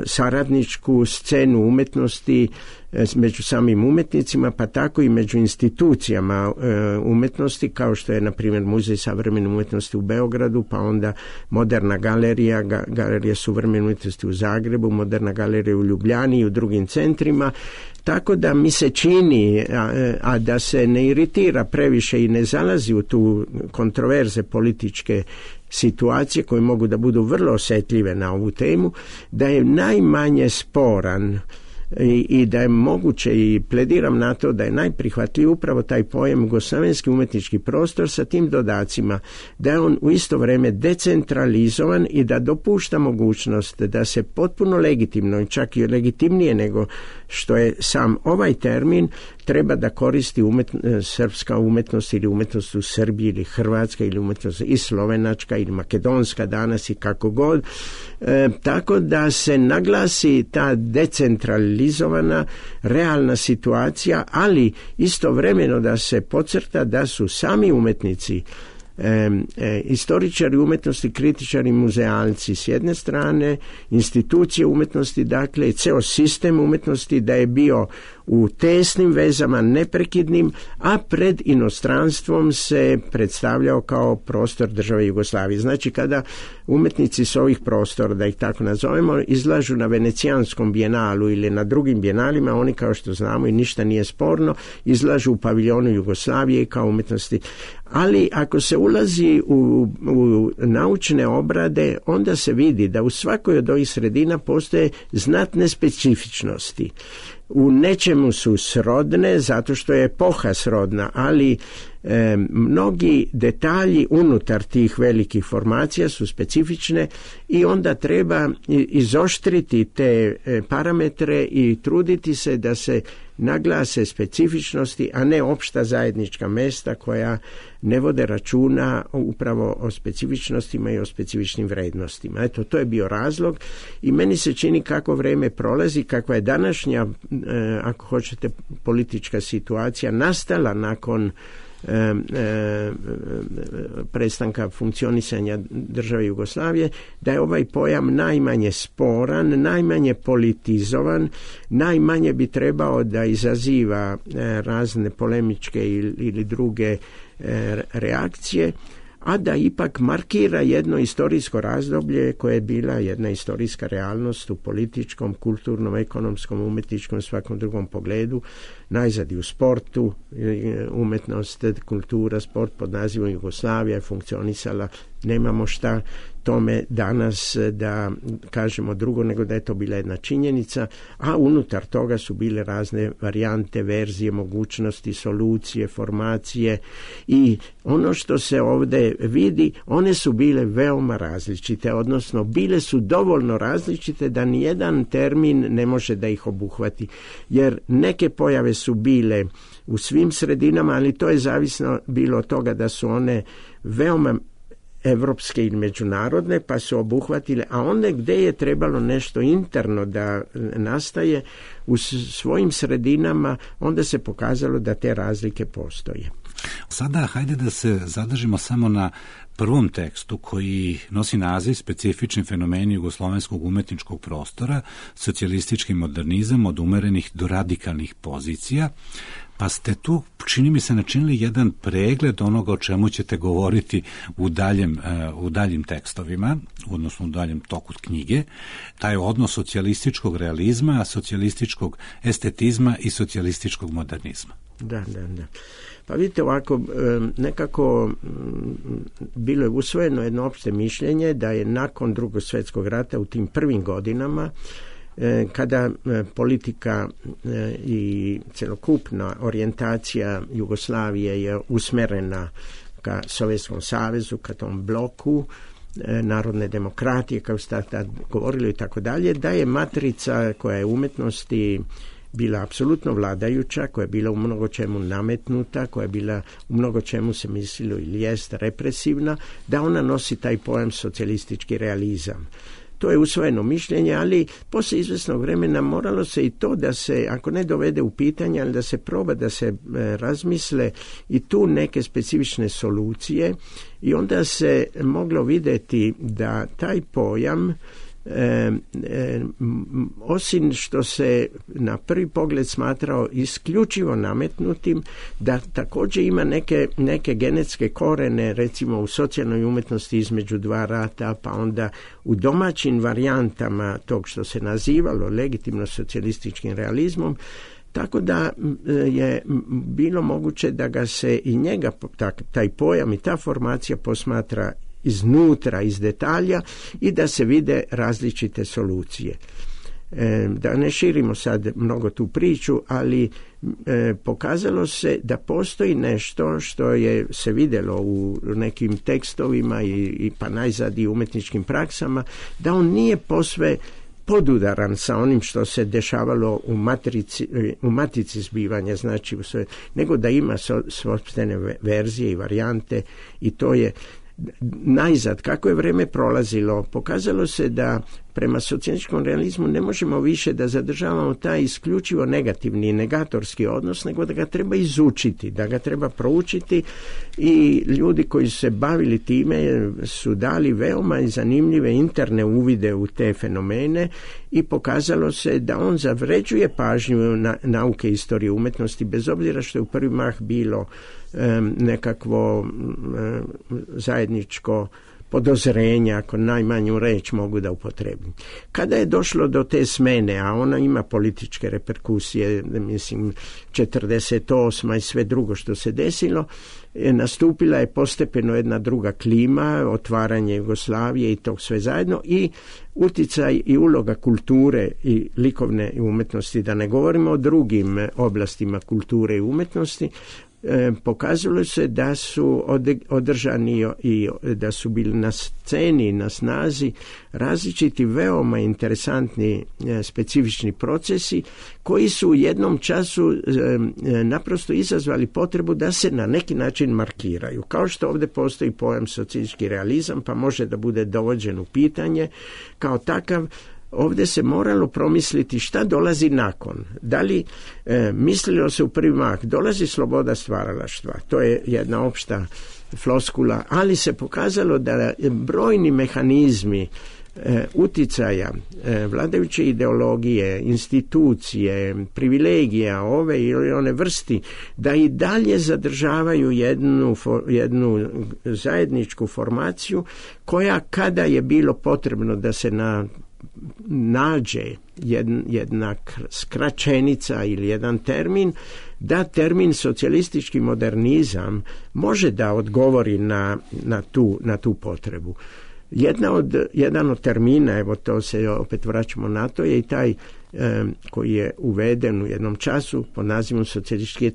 saradničku scenu umjetnosti među samim umjetnicima, pa tako i među institucijama umjetnosti, kao što je na primjer Muzej savremene umjetnosti u Beogradu, pa onda Moderna galerija, Galerija suvremene umjetnosti u Zagrebu, Moderna galerija u Ljubljani i u drugim centrima. Tako da mi se čini, a da se ne iritira previše i ne zalazi u tu kontroverze političke situacije koje mogu da budu vrlo osjetljive na ovu temu, da je najmanje sporan i da je moguće, i plediram na to da je najprihvatljiviji upravo taj pojam jugoslavenski umjetnički prostor sa tim dodacima, da je on u isto vrijeme decentralizovan i da dopušta mogućnost da se potpuno legitimno i čak i legitimnije nego što je sam ovaj termin treba da koristi srpska umjetnost ili umjetnost u Srbiji ili Hrvatska ili umjetnost i slovenačka ili makedonska danas i kako god. Tako da se naglasi ta decentralizovana realna situacija, ali istovremeno da se podcrta da su sami umjetnici, istoričari umjetnosti, kritičari, muzealci s jedne strane, institucije umjetnosti, dakle ceo sistem umjetnosti da je bio u tesnim vezama, neprekidnim, a pred inostranstvom se predstavljao kao prostor države Jugoslavije. Znači kada umjetnici s ovih prostora, da ih tako nazovemo, izlažu na Venecijanskom bijenalu ili na drugim bijenalima, oni kao što znamo i ništa nije sporno, izlažu u paviljonu Jugoslavije kao umjetnosti. Ali ako se ulazi u naučne obrade, onda se vidi da u svakoj od ovih sredina postoje znatne specifičnosti. U nečemu su srodne zato što je epoha srodna, ali mnogi detalji unutar tih velikih formacija su specifične i onda treba izoštriti te parametre i truditi se da se naglase specifičnosti, a ne opšta zajednička mesta koja ne vode računa upravo o specifičnostima i o specifičnim vrednostima. Eto, to je bio razlog i meni se čini kako vrijeme prolazi, kakva je današnja, ako hoćete, politička situacija nastala nakon prestanka funkcionisanja države Jugoslavije, da je ovaj pojam najmanje sporan, najmanje politizovan, najmanje bi trebao da izaziva razne polemičke ili druge reakcije, a da ipak markira jedno istorijsko razdoblje koje je bila jedna istorijska realnost u političkom, kulturnom, ekonomskom, umjetničkom, svakom drugom pogledu, najzad i u sportu, umjetnost, kultura, sport pod nazivom Jugoslavija je funkcionisala, nemamo šta tome danas da kažemo drugo nego da je to bila jedna činjenica, a unutar toga su bile razne varijante, verzije, mogućnosti, solucije, formacije i ono što se ovdje vidi, one su bile veoma različite, odnosno bile su dovoljno različite da nijedan termin ne može da ih obuhvati, jer neke pojave su bile u svim sredinama, ali to je zavisno bilo od toga da su one veoma evropske ili međunarodne, pa su obuhvatile, a onda gdje je trebalo nešto interno da nastaje u svojim sredinama, onda se pokazalo da te razlike postoje. Sada hajde da se zadržimo samo na prvom tekstu koji nosi naziv Specifični fenomeni jugoslovenskog umetničkog prostora, socijalistički modernizam od umerenih do radikalnih pozicija. Pa ste tu, čini mi se, načinili jedan pregled onoga o čemu ćete govoriti u daljim tekstovima, odnosno u daljem toku knjige, taj odnos socijalističkog realizma, socijalističkog estetizma i socijalističkog modernizma. Da. Pa vidite ovako, nekako bilo je usvojeno jedno opšte mišljenje da je nakon Drugog svjetskog rata u tim prvim godinama, kada politika i celokupna orijentacija Jugoslavije je usmerena ka Sovjetskom savezu, ka tom bloku narodne demokratije, kao ste tad govorili i tako dalje, da je matrica koja je umjetnosti bila apsolutno vladajuća, koja je bila u mnogo čemu nametnuta, koja je bila u mnogo čemu se mislilo ili jest represivna, da ona nosi taj pojam socijalistički realizam. To je usvojeno mišljenje, ali poslije izvesnog vremena moralo se i to da se, ako ne dovede u pitanje, ali da se proba, da se razmisle i tu neke specifične solucije i onda se moglo vidjeti da taj pojam osim što se na prvi pogled smatrao isključivo nametnutim, da također ima neke genetske korene, recimo u socijalnoj umjetnosti između dva rata, pa onda u domaćim varijantama tog što se nazivalo legitimno socijalističkim realizmom, tako da je bilo moguće da ga se i njega, taj pojam i ta formacija posmatra iznutra, iz detalja i da se vide različite solucije. Da ne širimo sad mnogo tu priču, ali pokazalo se da postoji nešto što je se vidjelo u nekim tekstovima i pa najzad i umjetničkim praksama, da on nije posve podudaran sa onim što se dešavalo u matici zbivanja, znači nego da ima sopstvene verzije i varijante, i to je najzad. Kako je vrijeme prolazilo, pokazalo se da prema socijalističkom realizmu ne možemo više da zadržavamo taj isključivo negativni i negatorski odnos, nego da ga treba izučiti, da ga treba proučiti, i ljudi koji su se bavili time su dali veoma zanimljive interne uvide u te fenomene i pokazalo se da on zavređuje pažnju nauke istorije umjetnosti, bez obzira što je u prvi mah bilo nekakvo zajedničko podozrenja, ako najmanju reč mogu da upotrebim. Kada je došlo do te smene, a ona ima političke reperkusije, mislim 48. i sve drugo što se desilo, nastupila je postepeno jedna druga klima, otvaranje Jugoslavije i tog sve zajedno, i uticaj i uloga kulture i likovne umjetnosti, da ne govorimo o drugim oblastima kulture i umjetnosti. Pokazalo se da su održani i da su bili na sceni, na snazi različiti veoma interesantni specifični procesi koji su u jednom času naprosto izazvali potrebu da se na neki način markiraju. Kao što ovdje postoji pojam socijalistički realizam, pa može da bude dovođen u pitanje kao takav. Ovdje se moralo promisliti šta dolazi nakon. Da li mislilo se u prvi mah, dolazi sloboda stvaralaštva, to je jedna opšta floskula, ali se pokazalo da brojni mehanizmi uticaja vladajuće ideologije, institucije, privilegija ove ili one vrsti, da i dalje zadržavaju jednu zajedničku formaciju koja, kada je bilo potrebno da se nađe jedna skraćenica ili jedan termin, da termin socijalistički modernizam može da odgovori na tu potrebu. Jedan od termina, evo to se opet vraćamo na to, je i taj koji je uveden u jednom času pod nazivom socijalistički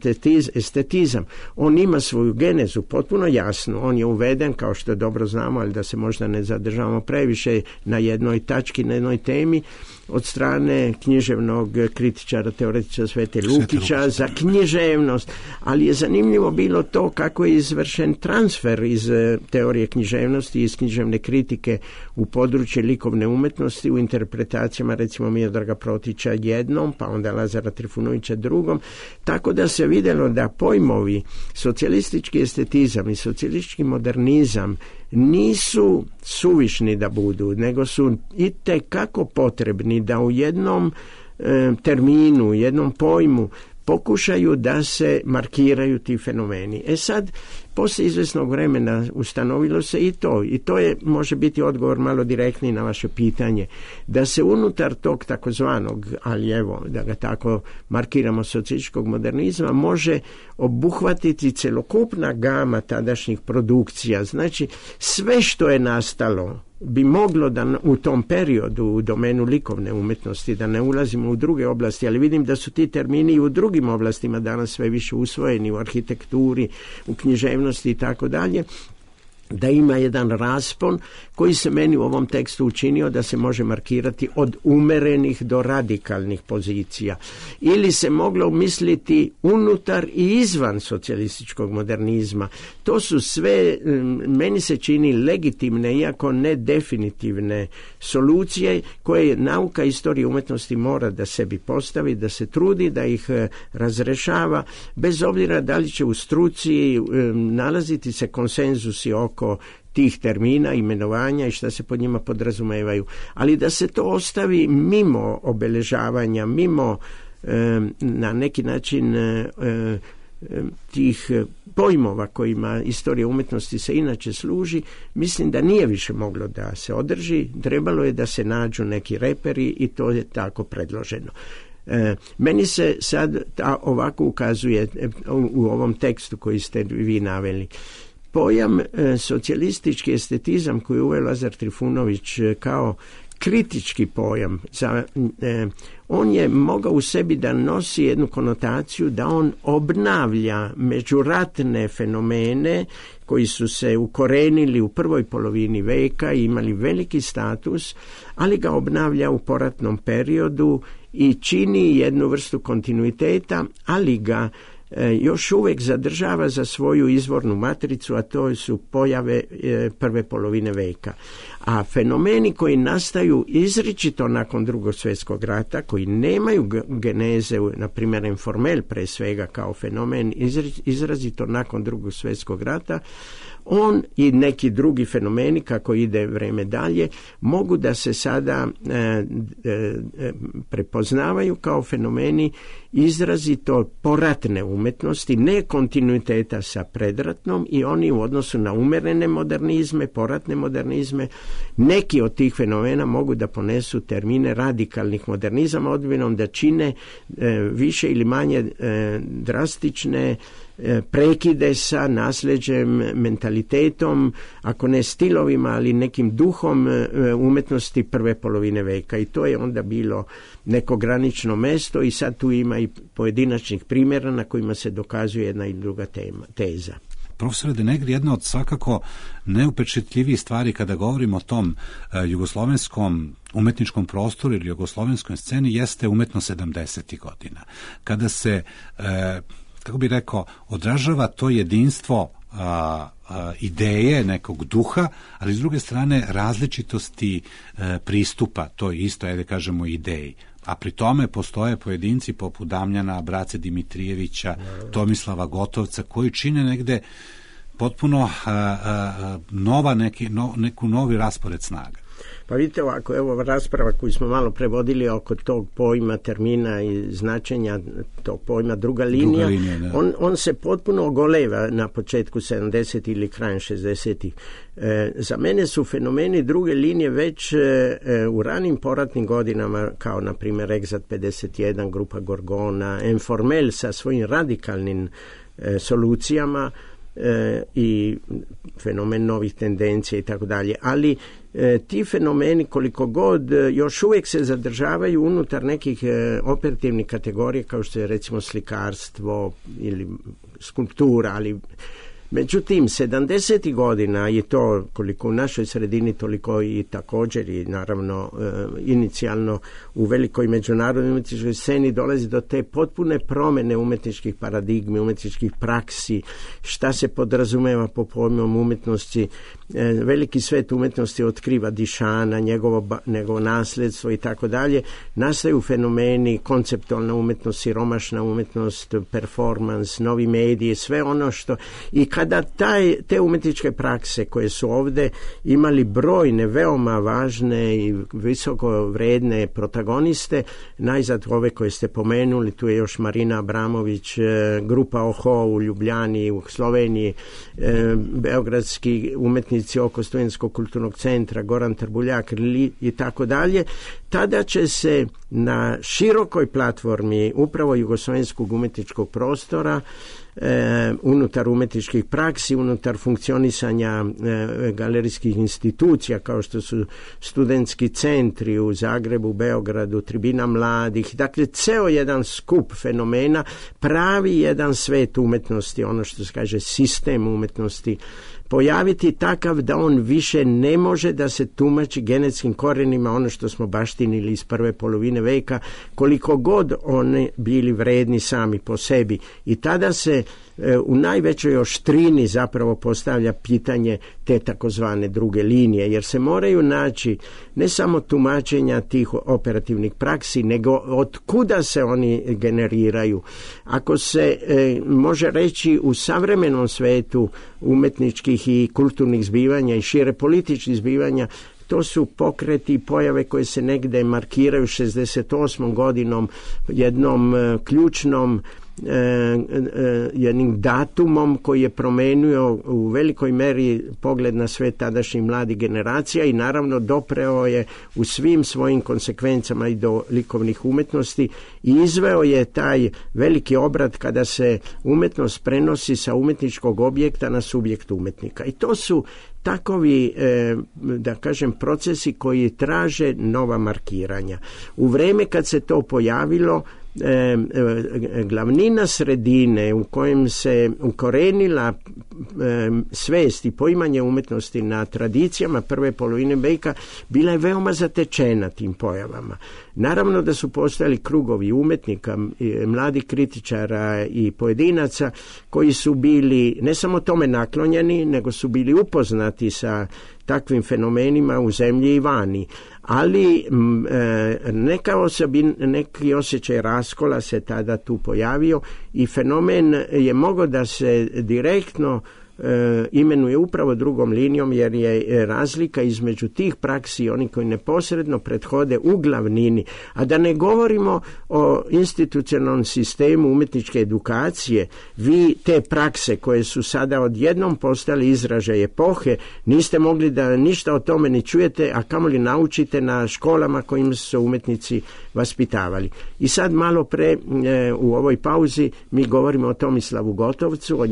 estetizam. On ima svoju genezu potpuno jasnu. On je uveden, kao što dobro znamo, ali da se možda ne zadržavamo previše na jednoj tački, na jednoj temi, od strane književnog kritičara, teoretičara Svete Lukića za književnost, ali je zanimljivo bilo to kako je izvršen transfer iz teorije književnosti, iz književne kritike u područje likovne umjetnosti, u interpretacijama recimo Miodraga Protića jednom, pa onda Lazara Trifunovića drugom, tako da se vidjelo da pojmovi socijalistički estetizam i socijalistički modernizam nisu suvišni da budu, nego su itekako potrebni da u jednom terminu, jednom pojmu pokušaju da se markiraju ti fenomeni. Sad, poslije izvesnog vremena ustanovilo se i to je, može biti odgovor malo direktniji na vaše pitanje, da se unutar tog takozvanog, ali evo, da ga tako markiramo, socijalističkog modernizma, može obuhvatiti celokupna gama tadašnjih produkcija. Znači, sve što je nastalo bi moglo da u tom periodu u domenu likovne umjetnosti, da ne ulazimo u druge oblasti, ali vidim da su ti termini i u drugim oblastima danas sve više usvojeni, u arhitekturi, u književnosti i tako dalje, da ima jedan raspon koji se meni u ovom tekstu učinio da se može markirati od umerenih do radikalnih pozicija. Ili se moglo misliti unutar i izvan socijalističkog modernizma. To su sve, meni se čini, legitimne, iako ne definitivne solucije koje nauka istorije umjetnosti mora da sebi postavi, da se trudi, da ih razrešava, bez obzira da li će u struci nalaziti se konsenzusi oko tih termina, imenovanja i šta se pod njima podrazumevaju. Ali da se to ostavi mimo obeležavanja, mimo na neki način tih pojmova kojima istorija umjetnosti se inače služi, mislim da nije više moglo da se održi, trebalo je da se nađu neki reperi i to je tako predloženo. Meni se sad ovako ukazuje u ovom tekstu koji ste vi naveli. Pojam socijalistički estetizam koji je uveo Lazar Trifunović kao kritički pojam, on je mogao u sebi da nosi jednu konotaciju da on obnavlja međuratne fenomene koji su se ukorenili u prvoj polovini veka i imali veliki status, ali ga obnavlja u poratnom periodu i čini jednu vrstu kontinuiteta, ali ga još uvijek zadržava za svoju izvornu matricu, a to su pojave prve polovine veka. A fenomeni koji nastaju izričito nakon Drugog svjetskog rata, koji nemaju geneze, na primjer informel pre svega kao fenomen izrazito nakon Drugog svjetskog rata, on i neki drugi fenomeni, kako ide vreme dalje, mogu da se sada prepoznavaju kao fenomeni izrazito poratne umjetnosti, ne kontinuiteta sa predratnom, i oni u odnosu na umerene modernizme, poratne modernizme, neki od tih fenomena mogu da ponesu termine radikalnih modernizama, odbinom da čine više ili manje drastične prekide sa nasljeđem, mentalitetom, ako ne stilovima, ali nekim duhom umjetnosti prve polovine veka. I to je onda bilo neko granično mesto i sad tu ima i pojedinačnih primjera na kojima se dokazuje jedna i druga teza. Profesore De Negri, jedna od svakako neupečetljivih stvari kada govorimo o tom jugoslovenskom umetničkom prostoru ili jugoslovenskoj sceni jeste umetnost 70. godina. Kada se kako bi rekao, odražava to jedinstvo ideje, nekog duha, ali s druge strane različitosti pristupa toj isto, da kažemo, ideji. A pri tome postoje pojedinci poput Damljana, Brace Dimitrijevića, Tomislava Gotovca, koji čine negde potpuno neku novi raspored snaga. Pa vidite ovako, evo rasprava koju smo malo prevodili oko tog pojma, termina i značenja tog pojma druga linija, on se potpuno ogoleva na početku 70. ili krajem 60. Za mene su fenomeni druge linije već u ranim poratnim godinama, kao na primjer Exat 51, grupa Gorgona, Informel sa svojim radikalnim solucijama i fenomen novih tendencija i tako dalje, ali ti fenomeni koliko god još uvijek se zadržavaju unutar nekih operativnih kategorija kao što je recimo slikarstvo ili skulptura, ali međutim 70. godina je to koliko u našoj sredini toliko i također i naravno inicijalno u velikoj međunarodnoj umjetničkoj sceni dolazi do te potpune promjene umjetničkih paradigmi, umjetničkih praksi, šta se podrazumeva po pojmom umjetnosti. Veliki svet umjetnosti otkriva Dišana, njegovo nasljedstvo i tako dalje. Nastaju fenomeni, konceptualna umjetnost, siromašna umjetnost, performans, novi mediji, sve ono što... I kada te umjetničke prakse koje su ovdje imali brojne, veoma važne i visoko vredne protagoniste, najzad ove koje ste pomenuli, tu je još Marina Abramović, grupa Oho u Ljubljani, u Sloveniji, beogradski umjetnici oko Studentskog kulturnog centra, Goran Trbuljak i tako dalje, tada će se na širokoj platformi upravo jugoslovenskog umjetničkog prostora unutar umjetničkih praksi, unutar funkcionisanja galerijskih institucija kao što su studentski centri u Zagrebu, Beogradu, Tribina mladih, dakle ceo jedan skup fenomena pravi jedan svet umjetnosti, ono što se kaže sistem umjetnosti, pojaviti takav da on više ne može da se tumači genetskim korenima ono što smo baštinili iz prve polovine veka, koliko god oni bili vredni sami po sebi. I tada se u najvećoj oštrini zapravo postavlja pitanje te takozvane druge linije, jer se moraju naći ne samo tumačenja tih operativnih praksi, nego od kuda se oni generiraju. Ako se može reći u savremenom svetu umjetničkih i kulturnih zbivanja i šire političkih zbivanja, to su pokreti i pojave koje se negde markiraju 68. godinom, jednom ključnom jednim datumom koji je promenio u velikoj meri pogled na sve tadašnjih mladih generacija i naravno dopreo je u svim svojim konsekvencama i do likovnih umjetnosti i izveo je taj veliki obrat kada se umjetnost prenosi sa umjetničkog objekta na subjekt umjetnika. I to su takovi, da kažem, procesi koji traže nova markiranja. U vreme kad se to pojavilo, glavnina sredine u kojem se ukorenila svest i poimanje umjetnosti na tradicijama prve polovine veka bila je veoma zatečena tim pojavama. Naravno da su postojali krugovi umjetnika, mladih kritičara i pojedinaca koji su bili ne samo tome naklonjeni, nego su bili upoznati sa takvim fenomenima u zemlji i vani. Ali neki osjećaj raskola se tada tu pojavio i fenomen je mogao da se direktno imenuje upravo drugom linijom, jer je razlika između tih praksi i oni koji neposredno prethode u glavnini, a da ne govorimo o institucionalnom sistemu umjetničke edukacije. Vi te prakse koje su sada odjednom postali izražaj epohe, niste mogli da ništa o tome ni čujete, a kamoli naučite na školama kojim su se umjetnici vaspitavali. I sad malo pre u ovoj pauzi mi govorimo o Tomislavu Gotovcu, o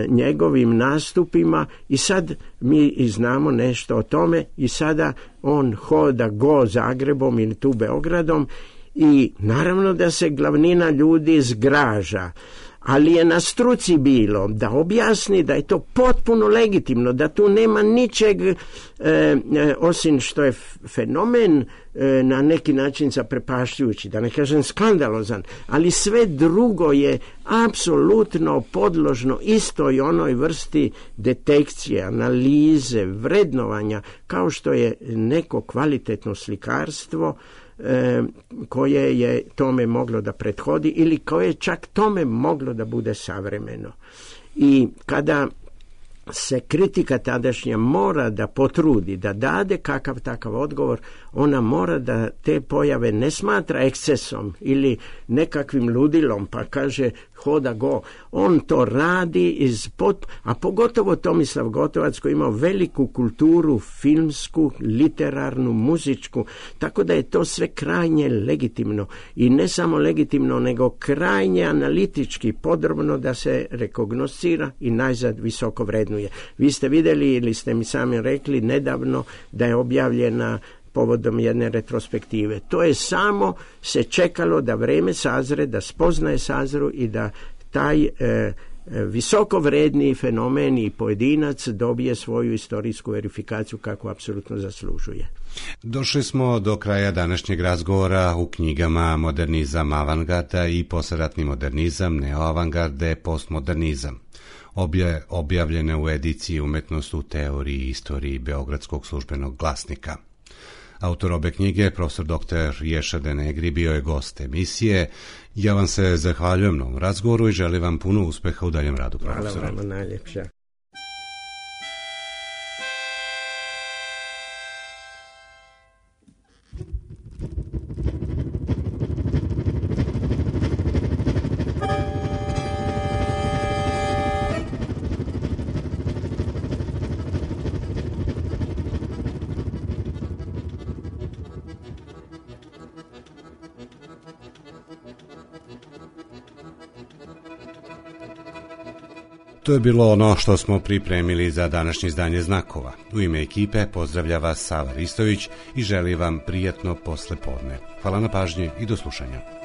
njegovim nastupima i sad mi znamo nešto o tome i sada on hoda Zagrebom ili tu Beogradom i naravno da se glavnina ljudi zgraža, ali je na struci bilo da objasni da je to potpuno legitimno, da tu nema ničeg osim što je fenomen na neki način zaprepašćujući, da ne kažem skandalozan, ali sve drugo je apsolutno podložno istoj onoj vrsti detekcije, analize, vrednovanja, kao što je neko kvalitetno slikarstvo koje je tome moglo da prethodi ili koje je čak tome moglo da bude savremeno. I kada se kritika tadašnja mora da potrudi, da dade kakav takav odgovor, ona mora da te pojave ne smatra ekscesom ili nekakvim ludilom, pa kaže hoda go. On to radi a pogotovo Tomislav Gotovac koji imao veliku kulturu filmsku, literarnu, muzičku, tako da je to sve krajnje legitimno i ne samo legitimno, nego krajnje analitički, podrobno da se rekognoscira i najzad visoko vrednuje. Vi ste vidjeli ili ste mi sami rekli nedavno da je objavljena povodom jedne retrospektive. To je samo se čekalo da vreme sazre, da spoznaje sazru i da taj visoko vredni fenomen i pojedinac dobije svoju istorijsku verifikaciju kako apsolutno zaslužuje. Došli smo do kraja današnjeg razgovora u knjigama Modernizam avangarda i posleratni modernizam, neoavangarde, postmodernizam. Obje objavljene u ediciji Umetnost u teoriji i istoriji Beogradskog službenog glasnika. Autor obe knjige, profesor dr. Ješa Denegri, bio je gost emisije. Ja vam se zahvaljujem na ovom razgovoru i želim vam puno uspeha u daljem radu, profesor. Hvala vam najljepša. To je bilo ono što smo pripremili za današnje izdanje Znakova. U ime ekipe pozdravlja vas Sava Ristović i želi vam prijatno poslepodne. Hvala na pažnji i do slušanja.